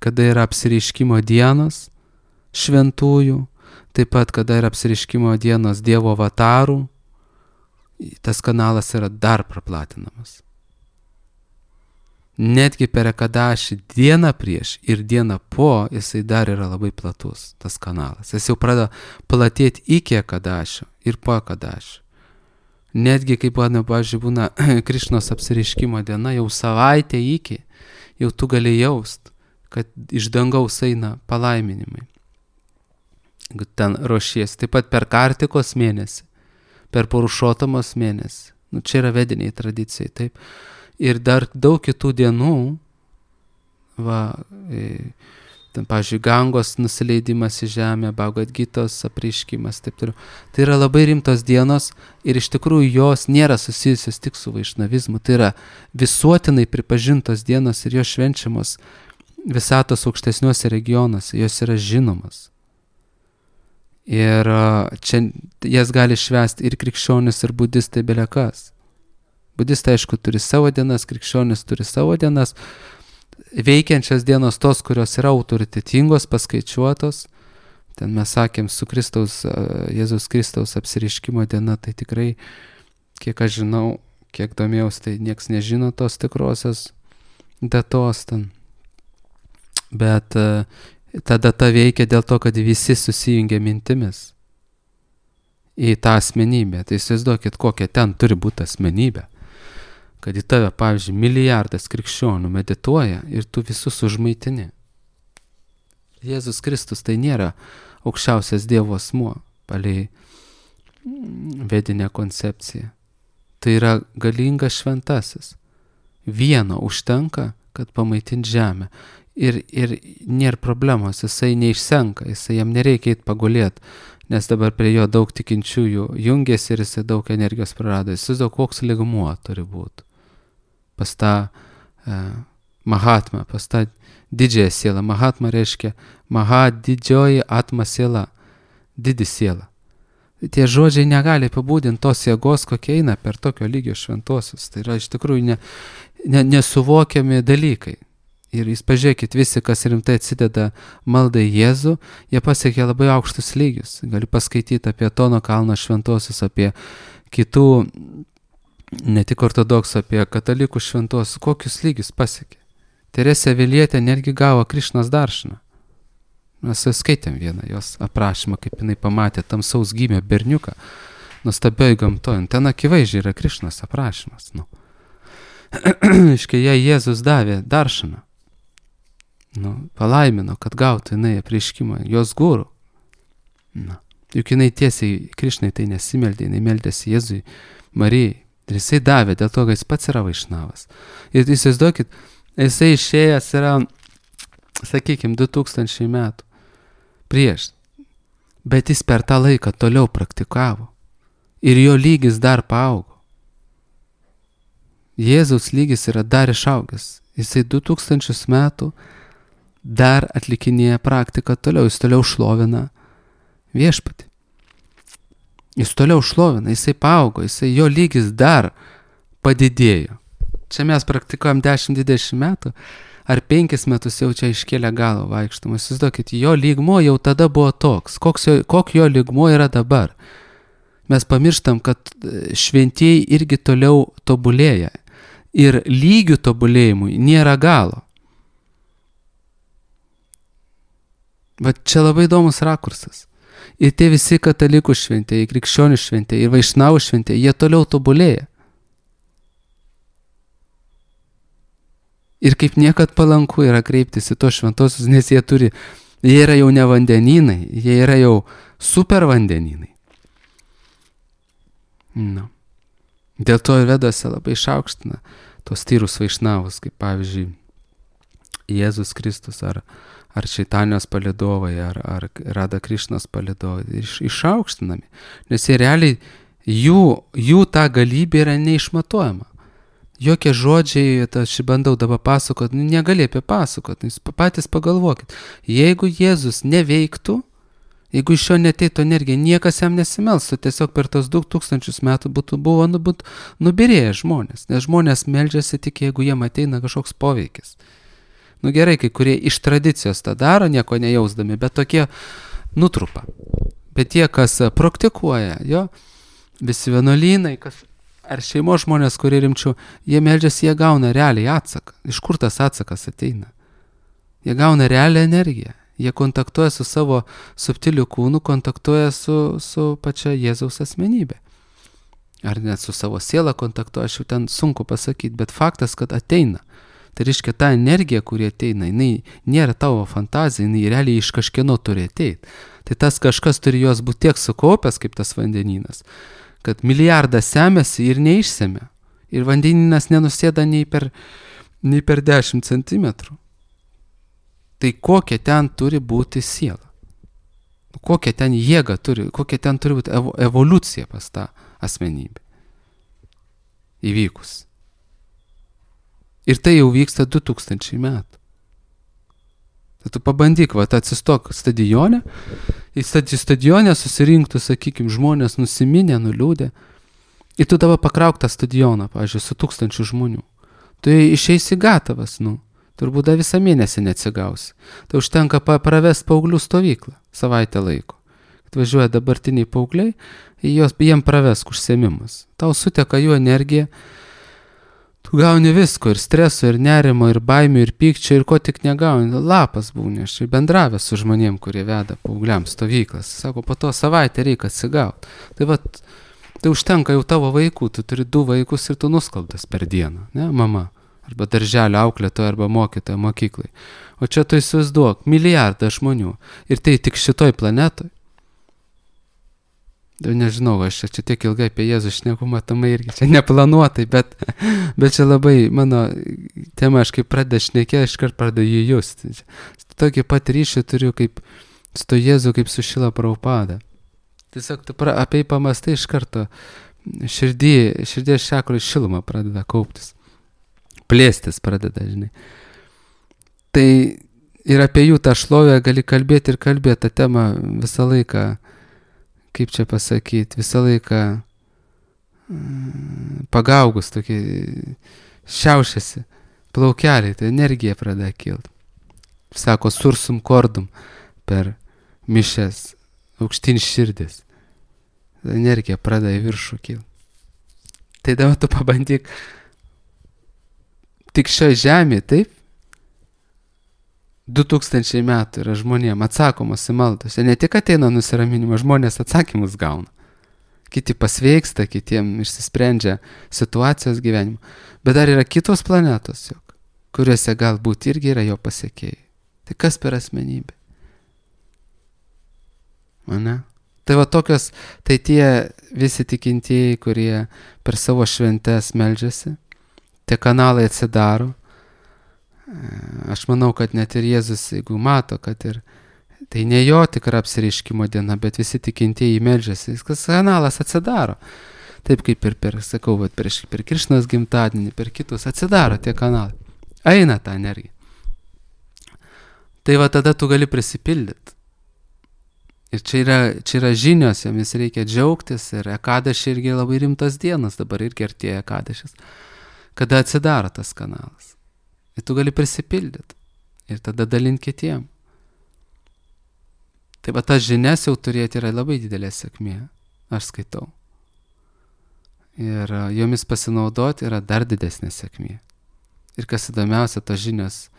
kada yra apsireiškimo dienos šventųjų, taip pat kada yra apsireiškimo dienos Dievo avatarų, tas kanalas yra dar praplatinamas. Netgi per ekadašį dieną prieš ir dieną po jisai dar yra labai platus, tas kanalas. Jis jau pradeda platėti iki ekadašio ir po ekadašio. Netgi, kaip pavyzdžiui, būna Krišnos apsireiškimo diena, jau savaitę iki, jau tu gali jaust, kad iš dangaus eina palaiminimai. Jeigu ten ruošies. Taip pat per Kartikos mėnesį, per Purušotamos mėnesį. Čia yra vediniai tradicijai, taip. Ir dar daug kitų dienų, ten, pavyzdžiui, Gangos nusileidimas į žemę, Bhagavad Gitos apreiškimas, taip toliau. Tai yra labai rimtos dienos ir iš tikrųjų jos nėra susijusios tik su vaišnavizmu. Tai yra visuotinai pripažintos dienos ir jos švenčiamos visatos aukštesniuose regionuose, jos yra žinomas. Ir čia jas gali švęsti ir krikščionis, ir budistai, belekas. Budistai, aišku, turi savo dienas, krikščionis turi savo dienas. Veikiančios dienos tos, kurios yra autoritetingos, paskaičiuotos. Ten mes sakėm su Jėzaus Kristaus apsireiškimo diena, tai tikrai, kiek aš žinau, kiek domėjaus, tai nieks nežino tos tikrosios datos ten. Bet ta data veikia dėl to, kad visi susijungia mintimis į tą asmenybę. Tai įsivaizduokit, kokia ten turi būti asmenybė. Kad į tave, pavyzdžiui, milijardas krikščionių medituoja ir tu visus užmaitini. Jėzus Kristus tai nėra aukščiausias Dievo asmuo, palei vedinę koncepciją. Tai yra galingas šventasis. Vieno užtenka, kad pamaitint žemę. Ir nėra problemos, jisai neišsenka, jam nereikia eit pagulėt, nes dabar prie jo daug tikinčiųjų jungiasi ir jisai daug energijos prarado. Jis daug koks lygmuo turi būti. Pas tą Mahatma, pas tą didžiąją sielą. Mahatma reiškia didžioji atma siela, didi siela. Tie žodžiai negali apibūdinti tos jėgos, kokia eina per tokio lygio šventosius. Tai yra iš tikrųjų nesuvokiami dalykai. Ir jūs pažiūrėkit, visi, kas rimtai atsideda maldai Jėzų, jie pasiekia labai aukštus lygius. Galiu paskaityti apie Tono kalno šventosius, apie kitų, ne tik ortodoksų, apie katalikų šventosius, kokius lygius pasiekė. Teresė Avilietė netgi gavo Krišnos daršiną. Mes skaitėm vieną jos aprašymą, kaip jinai pamatė tamsaus gimę berniuką nuostabioj gamtoj. Ten akivaizdžiai yra Krišnos aprašymas. Iškai jai Jėzus davė daršiną. Palaimino, kad gautų jinai apreiškimą, jos guru. Juk jinai tiesiai Krišnai tai nesimeldė, jinai meldėsi Jėzui, Marijai. Ir jisai davė, dėl to, kad jis pats yra vaišnavas. Ir įsivaizduokit, jisai išėjęs yra, sakykime, 2000 metų prieš. Bet jis per tą laiką toliau praktikavo. Ir jo lygis dar paaugo. Jėzaus lygis yra dar išaugęs. Jisai 2000 metų dar atlikinėja praktiką toliau, jis toliau šlovina viešpatį. Jis toliau šlovina, jisai paaugo, jo lygis dar padidėjo. Čia mes praktikuojam 10-20 metų, ar 5 metus jau čia iškėlė galą vaikštamas. Įsivaizduokit, jo lygmuo jau tada buvo toks, koks jo lygmuo yra dabar. Mes pamirštam, kad šventieji irgi toliau tobulėja. Ir lygių tobulėjimui nėra galo. Bet čia labai įdomus rakursas. Ir tie visi katalikų šventieji, krikščionių šventieji ir vaišnavų šventieji, jie toliau tobulėja. Ir kaip niekad palanku yra kreiptis į tos šventosius, nes jie yra jau ne vandenynai, jie yra jau super vandenynai. No. Dėl to ir Vedose labai išaukština tos tyrus vaišnavus, kaip pavyzdžiui Jėzus Kristus ar Čaitanijos palydovai, ar Rada Krišnos palydovai, išaukštinami, nes jie realiai, jų ta galybė yra neišmatuojama. Jokie žodžiai, aš bandau dabar pasakot, negali apie pasakot, patys pagalvokit. Jeigu Jėzus neveiktų, jeigu iš jo neteitų energija, niekas jam nesimelstų, tiesiog per tos 2000 metų buvo nubirėję žmonės, nes žmonės meldžiasi tik, jeigu jiem ateina kažkoks poveikis. Gerai, kai kurie iš tradicijos tą daro, nieko nejausdami, bet tokie nutrupa. Bet tie, kas praktikuoja, visi vienuolynai, ar šeimos žmonės, kurie rimčiau, jie meldžiasi, jie gauna realiai atsaką. Iš kur tas atsakas ateina? Jie gauna realią energiją. Jie kontaktuoja su savo subtiliu kūnu, kontaktuoja su pačia Jėzaus asmenybė. Ar net su savo siela kontaktuoja, aš jau ten sunku pasakyti, bet faktas, kad ateina. Tai reiškia, ta energija, kuri ateina, jinai nėra tavo fantazija, jinai realiai iš kažkieno turi ateiti. Tai tas kažkas turi jos būti tiek sukaupęs, kaip tas vandenynas, kad milijardas semėsi ir neišsemė. Ir vandenynas nenusėda nei per 10 centimetrų. Tai kokia ten turi būti siela? Kokia ten jėga turi, kokia ten turi būti evoliucija pas tą asmenybę įvykus. Ir tai jau vyksta 2000 metų. Tai tu pabandyk, atsistok stadione, į stadione susirinktų, sakykime, žmonės nusiminę, nuliūdę. Ir tu dabar pakrauk tą stadioną, pavyzdžiui, su 1000 žmonių. Tu išeisi gatavas, turbūt dar visą mėnesį neatsigausi. Tai užtenka pravest paauglių stovyklą savaitę laiko. Atvažiuoja dabartiniai paaugliai, jiem pravesk užsiėmimus. Tau suteka jų energija, tu gauni visko, ir streso, ir nerimo, ir baimių, ir pykčio, ir ko tik negauni. Lapas būni, aš bendravęs su žmonėm, kurie veda paaugliams stovyklas. Sako, po to savaitę reikia atsigauti. Tai užtenka jau tavo vaikų, tu turi 2 vaikus ir tu nuskaldas per dieną, ne, mama? Arba darželio auklėtoja, arba mokytoja mokyklai. O čia tu įsivaizduok, milijardą žmonių. Ir tai tik šitoj planetoj. Nežinau, aš čia tiek ilgai apie Jėzų šneku, matomai irgi čia neplanuotai, bet čia labai mano tema, aš kaip pradeda šnekė, aš kart pradeda jį justi. Tokį pat ryšį turiu kaip su to Jėzu, kaip su Šila Prabhupada. Tiesiog tu apie jį pamastai iš karto, širdies šakroj šiluma pradeda kauptis. Plėstis pradeda, žinai. Tai ir apie jų tą šlovę gali kalbėti ir kalbėti tą temą visą laiką, kaip čia pasakyti, visą laiką pagaugus, tokį šiaušiasi plaukeliai, tai energija pradeda kilti. Sako, sursum kordum per mišes, aukštyn širdis. Energija pradeda į viršų kilti. Tai dabar tu pabandyk tik šioje žemėje, taip? 2000 metų yra žmonėm atsakomos į maldas. Ne tik ateina nusiraminimo, žmonės atsakymus gauna. Kiti pasveiksta, kitiem išsisprendžia situacijos gyvenimo. Bet dar yra kitos planetos, kuriuose galbūt irgi yra jo pasiekėjai. Tai kas per asmenybė? Ane? Tai tokios, tai tie visi tikintieji, kurie per savo šventes meldžiasi, tie kanalai atsidaro. Aš manau, kad net ir Jėzus, jeigu mato, kad ir tai ne jo tikra apsireiškimo diena, bet visi tikintieji meldžiasi, kas kanalas atsidaro. Taip kaip ir per Krišnos gimtadienį, per kitus atsidaro tie kanalai. Eina ta energija. Tai tada tu gali prisipildyti. Ir čia yra žinios, jomis reikia džiaugtis, ir Ekadašį irgi labai rimtas dienas, dabar irgi artėja Ekadašis, kada atsidaro tas kanalas. Ir tu gali prisipildyti ir tada dalinti kitiem. Tai tas žinias jau turėti yra labai didelė sėkmė, aš skaitau. Ir jomis pasinaudoti yra dar didesnė sėkmė. Ir kas įdomiausia, tos žinios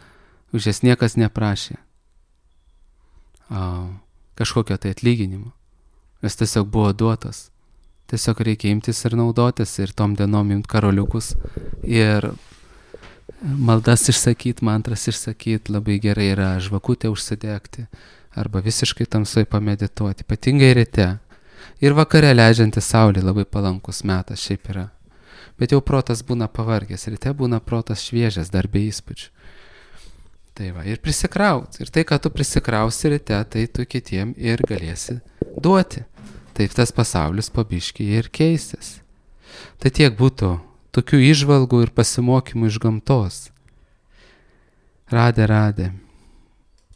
už jas niekas neprašė kažkokio tai atlyginimo. Jos tiesiog buvo duotos. Tiesiog reikia imtis ir naudotis ir tom dienom imti karoliukus ir maldas išsakyti, mantras išsakyti, labai gerai yra žvakutę užsidegti arba visiškai tamsoj pamedituoti, ypatingai ryte. Ir vakare leidžianti saulė labai palankus metas šiaip yra. Bet jau protas būna pavargęs, ryte būna protas šviežias, dar be įspūdžių. Tai va, ir prisikraut. Ir tai, ką tu prisikrausi ryte, tai tu kitiem ir galėsi duoti. Taip tas pasaulis po biškį ir keistis. Tai tiek būtų tokių įžvalgų ir pasimokymų iš gamtos. Radė.